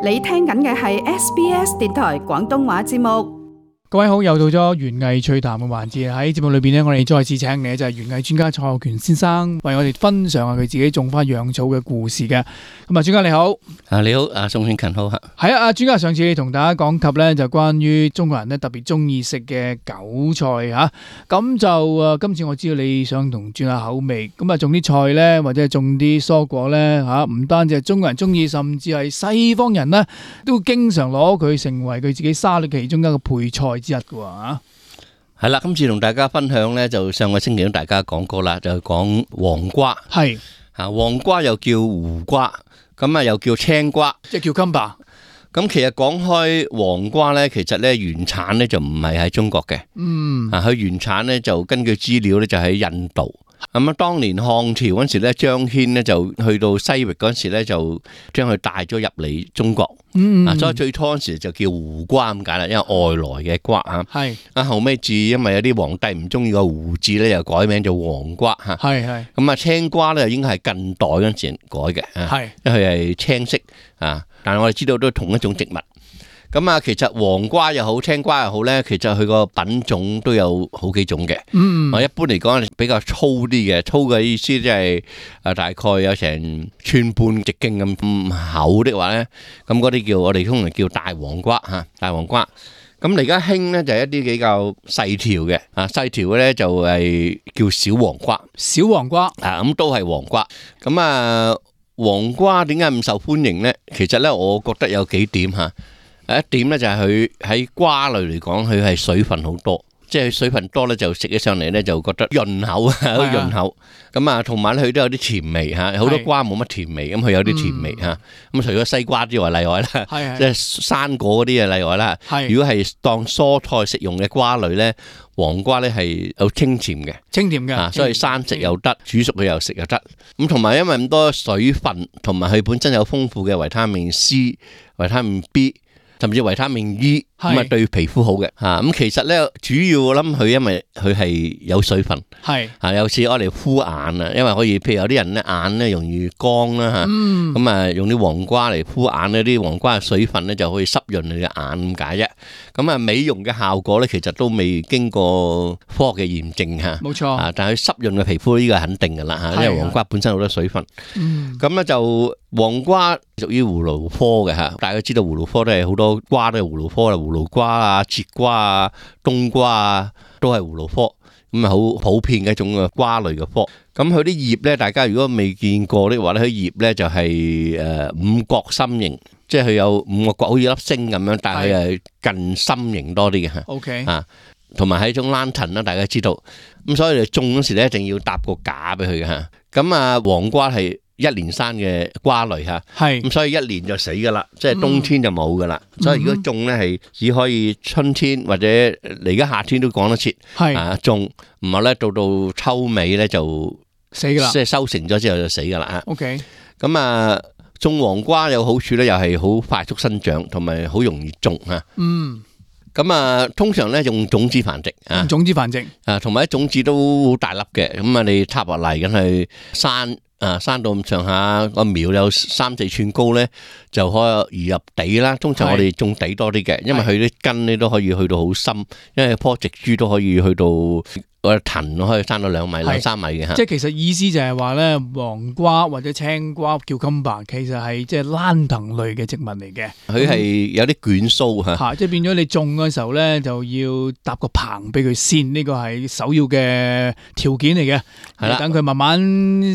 你聽緊嘅係 SBS 電台廣東話節目。各位好，又到咗園藝趣談嘅環節。喺節目裏邊呢，我哋再次請嚟就係園藝專家蔡浩權先生，為我哋分享下佢自己種花養草嘅故事嘅。咁啊，專家你好。你好，宋慶勤好吓。係啊，專家上次同大家講及呢，就關於中國人呢特別中意食嘅韭菜吓。咁就今次我知道你想同轉下口味，咁啊種啲菜呢，或者係種啲蔬果呢吓，唔單止係中國人中意，甚至係西方人呢都經常攞佢成為佢自己沙律其中一個配菜之一嘅喎。係啦，今次同大家分享呢，就上個星期同大家講過啦，就講黃瓜。係啊，黃瓜又叫胡瓜，咁啊又叫青瓜，即係叫 cucumber。咁其實講開黃瓜呢，其實呢原產呢就唔係喺中國嘅。佢原產呢就根據資料呢就喺印度。咁啊，當年漢朝嗰時咧，張騫呢就去到西域嗰時咧，就將佢帶咗入嚟中國。所以最初嗰時就叫胡瓜咁解啦，因為外來嘅瓜吓。係後尾至因為有啲皇帝唔中意個胡字咧，又改名做黃瓜吓。係咁啊，青瓜咧應該係近代嗰陣時改嘅。係因為佢係青色啊，但係我哋知道都係同一種植物。咁啊，其實黃瓜又好，青瓜又好咧，其實佢個品種都有好幾種嘅。一般嚟講比較粗啲嘅，粗嘅意思即係大概有成寸半直徑咁厚的話咧，咁嗰啲叫我哋通常叫大黃瓜吓，大黃瓜。咁而家興咧就係一啲比較細條嘅，細條嘅咧就係叫小黃瓜。小黃瓜咁都係黃瓜。咁啊，黃瓜點解咁受歡迎咧？其實咧，我覺得有幾點吓。一點咧就係佢喺瓜類嚟講，佢係水分好多，即係水分多咧就食起上嚟咧就覺得潤口啊，好潤口。咁啊，同埋咧佢都有啲甜味吓，好多瓜冇乜甜味，咁佢有啲甜味吓。咁除咗西瓜之外例外啦，即係生果嗰啲啊例外啦。如果係當蔬菜食用嘅瓜類咧，黃瓜咧係有清甜嘅，清甜嘅，所以生食又得，煮熟佢又食又得。咁同埋因為咁多水分，同埋佢本身有豐富嘅維他命 C、維他命 B。甚至維他命 E 咁啊，對皮膚好嘅吓。咁其實咧，主要我諗佢因為佢係有水分，係有時我哋敷眼啊，因為可以，譬如有啲人咧眼咧容易乾啦吓，咁啊用啲黃瓜嚟敷眼咧，啲黃瓜嘅水分咧就可以濕潤你嘅眼咁解啫。咁啊，美容嘅效果咧，其實都未經過科學嘅驗證吓，冇錯。但係佢濕潤嘅皮膚呢個係肯定噶啦吓，因為黃瓜本身好多水分。咁咧就黃瓜屬於葫蘆科嘅吓，大家知道葫蘆科都係好多瓜都係葫蘆科啦，葫蘆瓜啊、節瓜啊、冬瓜啊，都係葫蘆科，咁啊好普遍嘅一種嘅瓜類嘅科。咁佢啲葉咧，大家如果未見過的話咧，佢葉咧就係五角心形，即係佢有五個角，好似粒星咁樣，但係佢係近心形多啲嘅吓。OK 啊，同埋係一種蘭藤啦，大家知道。咁所以你種嗰時咧，一定要搭個架俾佢嘅吓。咁啊，黃瓜係一年生嘅瓜類吓，咁所以一年就死噶啦，即係冬天就冇噶啦。所以如果種咧係只可以春天或者嚟而家夏天都講得切，種唔係咧到秋尾咧就死噶啦，即係收成咗之後就死噶啦。OK，咁啊種黃瓜有好處咧，又係好快速生長，同埋好容易種吓。咁啊，通常咧用種子繁殖啊，種子繁殖啊，同埋啲種子都好大粒嘅。咁啊，你插落嚟咁去生啊，生到咁上下個苗有3-4寸高咧，就可以移入地啦。通常我哋種地多啲嘅，因為佢啲根咧都可以去到好深，因為棵植株都可以去到個藤可以生到2米、2-3米嘅吓。即係其實意思就係話咧，黃瓜或者青瓜叫 cucumber，其實係即係蘭藤類嘅植物嚟嘅。佢係有啲捲鬚吓，即係變咗你種嘅時候咧，就要搭個棚俾佢先，呢個係首要嘅條件嚟嘅。係啦，等佢慢慢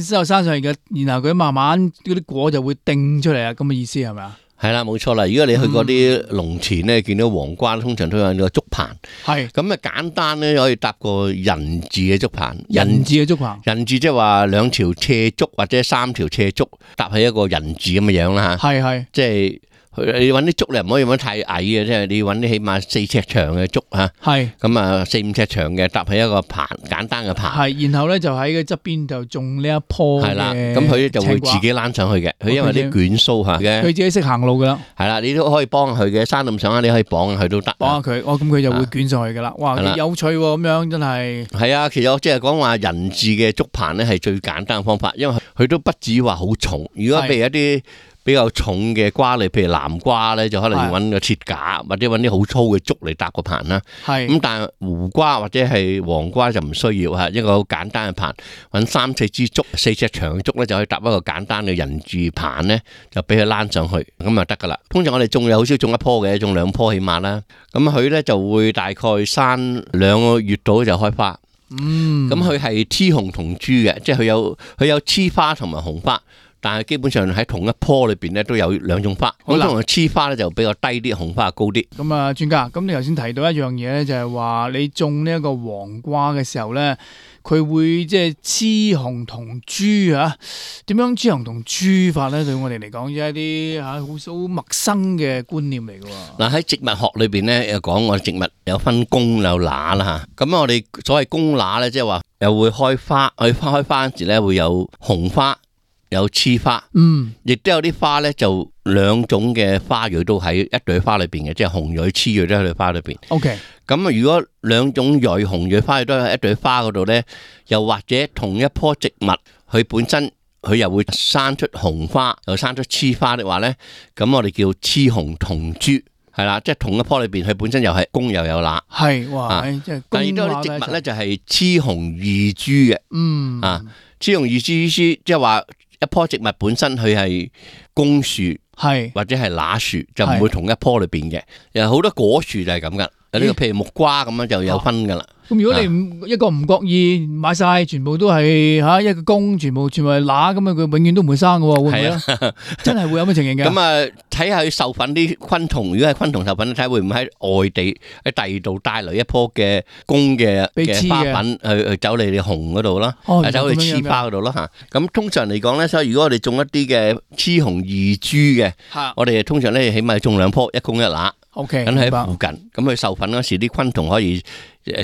之後生上嚟嘅，然後佢慢慢嗰啲果就會定出嚟啊，咁嘅意思係咪啊？係啦，冇錯啦。如果你去嗰啲農田咧，見到黃瓜，通常都有個竹棚。係咁啊，簡單咧可以搭個人字嘅竹棚。人字嘅竹棚，人字即係話2條斜竹或者3條斜竹搭喺一個人字咁嘅樣啦吓。係，即係。你揾啲竹你唔可以揾太矮嘅，即係你揾啲起碼4尺長嘅竹吓，係咁啊4-5尺長嘅搭喺一個棚，簡單嘅棚。係，然後咧就喺個側邊就種呢一棵嘅。係啦，咁佢就會自己躝上去嘅，佢因為啲捲鬚吓嘅，佢自己識行路噶啦。係啦，你都可以幫佢嘅，生咁上下你可以綁佢都得。綁下佢，咁佢就會捲上去噶啦。哇，有趣咁樣真係。係啊，其實我即係講話人字嘅竹棚咧係最簡單嘅方法，因為佢都不至於話好重。如果譬如一啲比較重嘅瓜類，譬如南瓜咧，就可能要揾個鐵架，或者揾啲好粗嘅竹嚟搭個棚啦。咁但係胡瓜或者係黃瓜就唔需要嚇，一個好簡單嘅棚，揾3-4支竹，4隻長嘅竹咧就可以搭一個簡單嘅人字棚咧，就俾佢躝上去，咁就得噶啦。通常我哋種有好少種1棵嘅，種2棵起碼啦。咁佢咧就會大概生2個月到就開花。咁佢係雌雄同株嘅，即係佢有雌花同埋雄花，但係基本上喺同一棵裏邊咧都有2種花。咁通常雌花咧就比較低啲，雄花高啲。咁啊，專家，咁你頭先提到一樣嘢咧，就係話你種呢一個黃瓜嘅時候咧，佢會即係雌雄同株啊？點樣雌雄同株法咧？對我哋嚟講，即係一啲好陌生嘅觀念嚟嘅。嗱，喺植物學裏邊咧，有講我哋植物有分公有乸啦嚇。咁我哋所謂公乸咧，即係話又會開花，開花嗰時咧會有雄花。有雌花，亦都有啲花咧，就2種嘅花蕊都喺一朵花裏邊嘅，即係雄蕊、雌蕊都喺朵花裏邊。OK，咁啊，如果2種蕊、雄蕊花蕊都喺一朵花嗰度咧，又或者同一棵植物，佢本身佢又會生出雄花，又生出雌花的話咧，咁我哋叫雌雄同株，係啦，即係同一棵裏邊，佢本身又係公又有乸。係，哇，即係公乸咧。但係啲植物咧就係雌雄異株嘅，雌雄異株意思即係話。一棵植物本身佢係公樹，或者係乸樹，就唔會同一棵裏邊嘅。有好多果樹就係咁噶，有呢個譬如木瓜咁樣就有分噶啦。咁如果你一個唔覺意買晒，全部都係一個公，全部係乸咁啊，佢永遠都唔會生嘅喎，會唔會咧？真係會有咁嘅情形嘅。咁啊，睇下佢授粉啲昆蟲，如果係昆蟲授粉，睇會唔會喺外地喺第二度帶來一棵嘅公嘅花粉去走嚟你雄嗰度啦，走去雌花嗰度啦嚇。咁通常嚟講咧，所以如果我哋種一啲嘅雌雄異株嘅，我哋通常咧起碼種2棵，一公一乸。OK，咁喺附近，咁佢授粉嗰時，啲昆蟲可以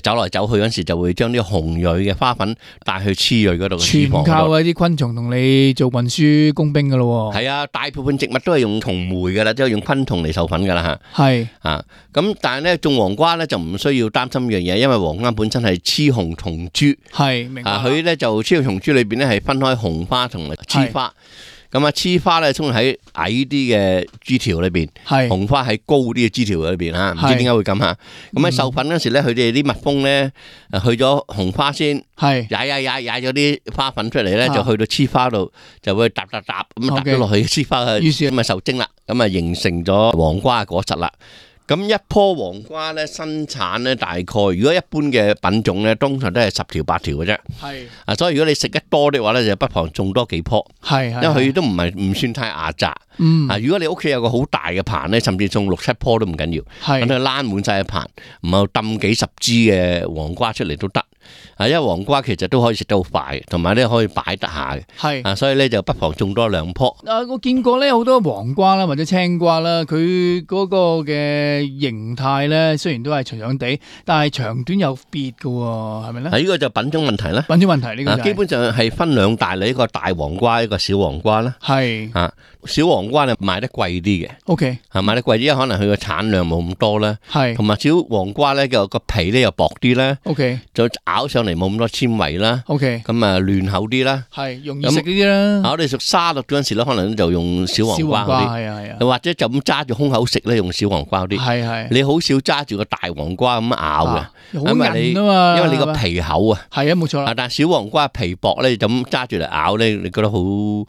走來走去嗰時，就會將啲雄蕊嘅花粉帶去雌蕊嗰度。全靠嗰啲昆蟲同你做運輸工兵噶咯。係啊，大部分植物都係用蟲媒噶啦，即係用昆蟲嚟授粉噶啦吓。係啊，咁但係咧種黃瓜咧就唔需要擔心呢樣嘢，因為黃瓜本身係雌雄同株。係，明白。佢咧就雌雄同株裏邊咧係分開雄花同埋雌花。咁啊，雌花咧通常喺矮啲嘅枝條裏邊，雄花喺高啲嘅枝條裏邊嚇，唔知點解會咁嚇。咁喺授粉嗰時咧，佢哋啲蜜蜂咧去咗雄花先，踩咗啲花粉出嚟咧，就去到雌花度，就會搭咁搭咗落去雌花嘅，咁啊受精啦，咁啊形成咗黃瓜嘅果實啦。咁一棵黃瓜咧生產咧大概，如果一般嘅品種咧，通常都係10條8條嘅啫。係所以如果你食得多嘅話咧，就不妨種多幾棵。因為佢都唔算太牙雜。如果你屋企有個好大嘅棚咧，甚至種6-7棵都唔緊要。等佢躝滿晒嘅棚，唔係抌幾十支嘅黃瓜出嚟都得。因為黃瓜其實都可以食得好快，同埋咧可以擺得下嘅。所以咧就不妨種多2棵。我見過咧好多黃瓜啦，或者青瓜啦，佢嗰個嘅形態咧，雖然都係長長地，但係長短有別嘅喎，係咪咧？呢個就品種問題啦。品種問題呢個基本上係分2大類，一個大黃瓜，一個小黃瓜啦。小黃瓜咧賣得貴啲嘅。OK，賣得貴啲，因為可能佢個產量冇咁多啦。同埋小黃瓜咧個皮咧又薄啲啦。OK，就咬上嚟冇咁多纖維啦。OK，咁啊嫩口啲啦。容易食啲啦。我哋食沙律嗰陣時咧，可能就用小黃瓜嗰啲。又或者就咁揸住空口食咧，用小黃瓜嗰啲。你好少揸住個大黃瓜咁咬嘅。好韌啊嘛，因為你個皮厚啊。冇錯啦。但係小黃瓜皮薄咧，就咁揸住嚟咬咧，你覺得好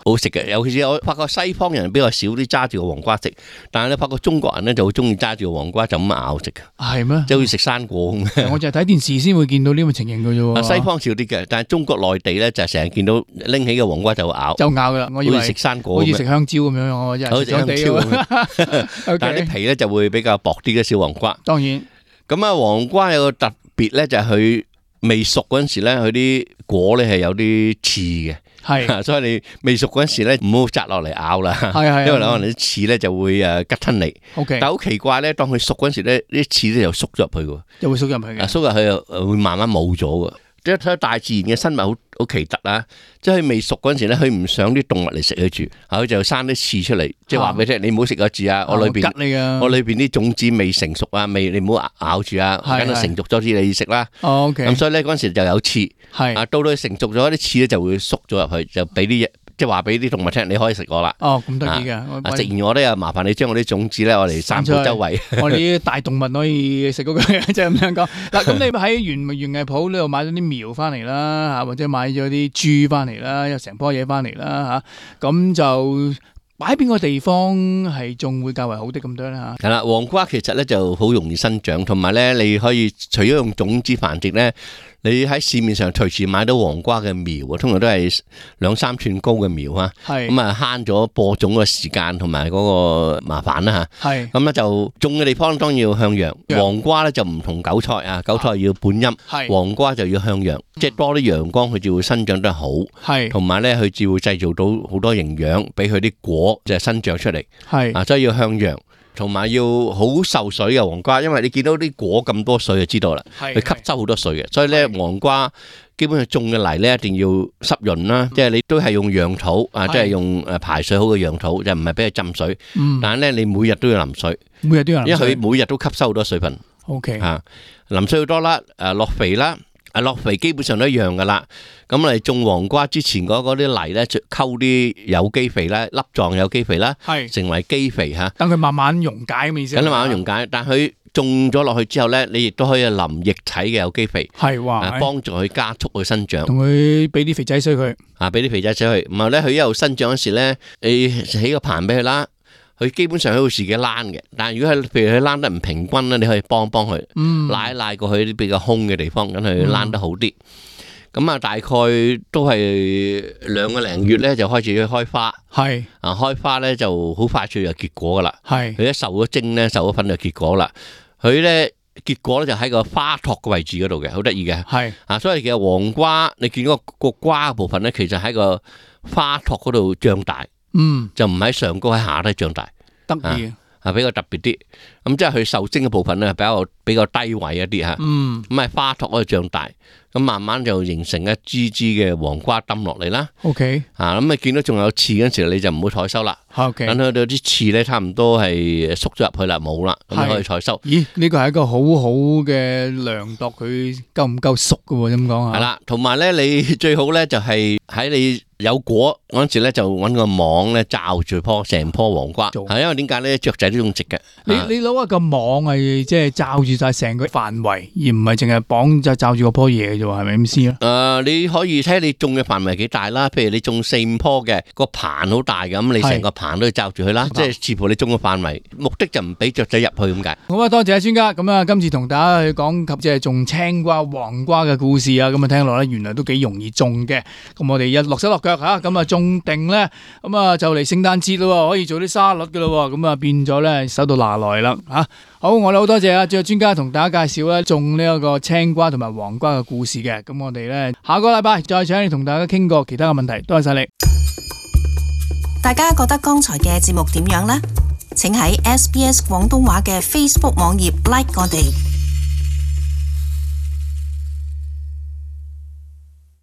好食嘅。尤其是我發覺西方人比較少啲揸住個黃瓜食，但係咧發覺中國人咧就好中意揸住個黃瓜就咁咬食嘅。係咩？即係好似食生果咁。我就係睇電視先會見到呢個情形嘅啫喎。西方少啲嘅，但係中國內地咧就成日見到拎起個黃瓜就咬。就咬㗎啦，我以為好似食生果，好似食香蕉咁樣，我真係食香蕉。但係啲皮咧就會比較薄啲嘅小黃瓜。當然。咁啊，黃瓜有個特別咧，就係佢未熟嗰陣時咧，佢啲果咧係有啲刺嘅。係，所以你未熟嗰陣時咧，唔好摘落嚟咬啦。因為可能啲刺咧就會吉親你。但係好奇怪咧，當佢熟嗰陣時咧，啲刺咧又縮咗入去嘅。又會縮入去嘅。縮入去又會慢慢冇咗嘅。即係睇大自然嘅生物好奇特啦，即係佢未熟嗰陣時咧，佢唔想啲動物嚟食佢住，佢就生啲刺出嚟，即係話俾你聽，你唔好食個字啊！我裏邊啲種子未成熟啊，你唔好咬住啊，等佢成熟咗先你食啦。咁所以咧嗰陣時就有刺，到到佢成熟咗啲刺咧就會縮咗入去，就俾啲即係話俾啲動物聽，你可以食我啦。哦，咁得意嘅。食完我咧，又麻煩你將我啲種子咧，我嚟散佈周圍。我哋啲大動物可以食嗰個，即係咁樣講。嗱，咁你喺園藝鋪呢度買咗啲苗翻嚟啦，或者買咗啲株翻嚟啦，有成棵嘢翻嚟啦，咁就擺邊個地方係種會較為好啲咁多咧嚇？係啦，黃瓜其實咧就好容易生長，同埋咧你可以除咗用種子繁殖咧，你喺市面上隨時買到黃瓜嘅苗啊，通常都係2-3寸高嘅苗啊，咁啊慳咗播種嘅時間同埋嗰個麻煩啦嚇。咁咧就種嘅地方當然要向陽，黃瓜咧就唔同韭菜啊，韭菜要半陰，黃瓜就要向陽，即係多啲陽光佢就會生長得好，同埋咧佢就會製造到好多營養俾佢啲果就係生長出嚟，所以要向陽。同埋要好受水嘅黃瓜，因為你見到啲果咁多水就知道啦，佢吸收好多水嘅，所以咧黃瓜基本上種嘅泥咧一定要濕潤啦，即係你都係用陽土啊，即係用排水好嘅陽土，就唔係俾佢浸水。但係咧你每日都要淋水，因為佢每日都吸收好多水分。淋水好多啦，落肥啦。落肥基本上都一樣噶啦，咁嚟種黃瓜之前嗰啲泥咧，就溝啲有機肥啦，粒狀有機肥啦，成為基肥嚇。等佢慢慢溶解咁意思。等佢慢慢溶解，但佢種咗落去之後咧，你亦都可以淋液體嘅有機肥，幫助佢加速佢生長。同佢俾啲肥仔水佢，俾啲肥仔水佢，然後咧佢一路生長嗰時咧，你起個棚俾佢啦。佢基本上佢會自己躝嘅，但係如果係譬如佢躝得唔平均咧，你可以幫佢，拉一拉過去啲比較空嘅地方，咁佢躝得好啲。咁啊，大概都係2個零月咧就開始去開花，開花咧就好快脆就結果噶啦。佢一受咗精咧，受咗粉就結果啦。佢咧結果咧就喺個花托嘅位置嗰度嘅，好得意嘅。所以其實黃瓜你見到個瓜部分咧，其實喺個花托嗰度長大。就唔喺上高喺下低長大，得意比較特別啲。咁即係佢受精嘅部分咧，比較低位一啲嚇。咁喺花托嗰度長大，咁慢慢就形成一支支嘅黃瓜抌落嚟啦。咁你見到仲有刺嗰陣時，你就唔好採收啦。等佢哋啲刺咧差唔多係縮咗入去啦，冇啦，咁可以採收。咦？呢個係一個好好嘅量度，佢夠唔夠熟嘅喎？咁講啊？係啦，同埋咧，你最好咧就係喺你有果嗰陣時咧，就揾個網咧罩住成棵黃瓜。係因為點解咧？雀仔都種植嘅。你攞一個網係即係罩住晒成個範圍，而唔係淨係綁就罩住嗰棵嘢嘅啫喎，係咪咁先啊？你可以睇下你種嘅範圍幾大啦。譬如你種4-5棵嘅個棚好大咁，你成個棚都要罩住佢啦。即係視乎你種嘅範圍，目的就唔俾雀仔入去咁解。好啊，多謝阿專家。咁啊，今次同大家去講及即係種青瓜、黃瓜嘅故事啊。咁啊，聽落咧原來都幾容易種嘅。咁我哋一落手落腳嚇，咁啊種定咧，咁啊就嚟聖誕節咯，可以做啲沙律嘅咯。咁啊變咗咧手到拿來啦嚇。好，我哋好多謝啊，仲有專家同大家介紹咧種呢一個青瓜同埋黃瓜嘅故事嘅。咁我哋咧下個禮拜再請你同大家傾過其他嘅問題。多謝晒你。大家覺得剛才嘅節目點樣呢？請喺SBS 廣東話嘅 Facebook 網頁 like 我哋。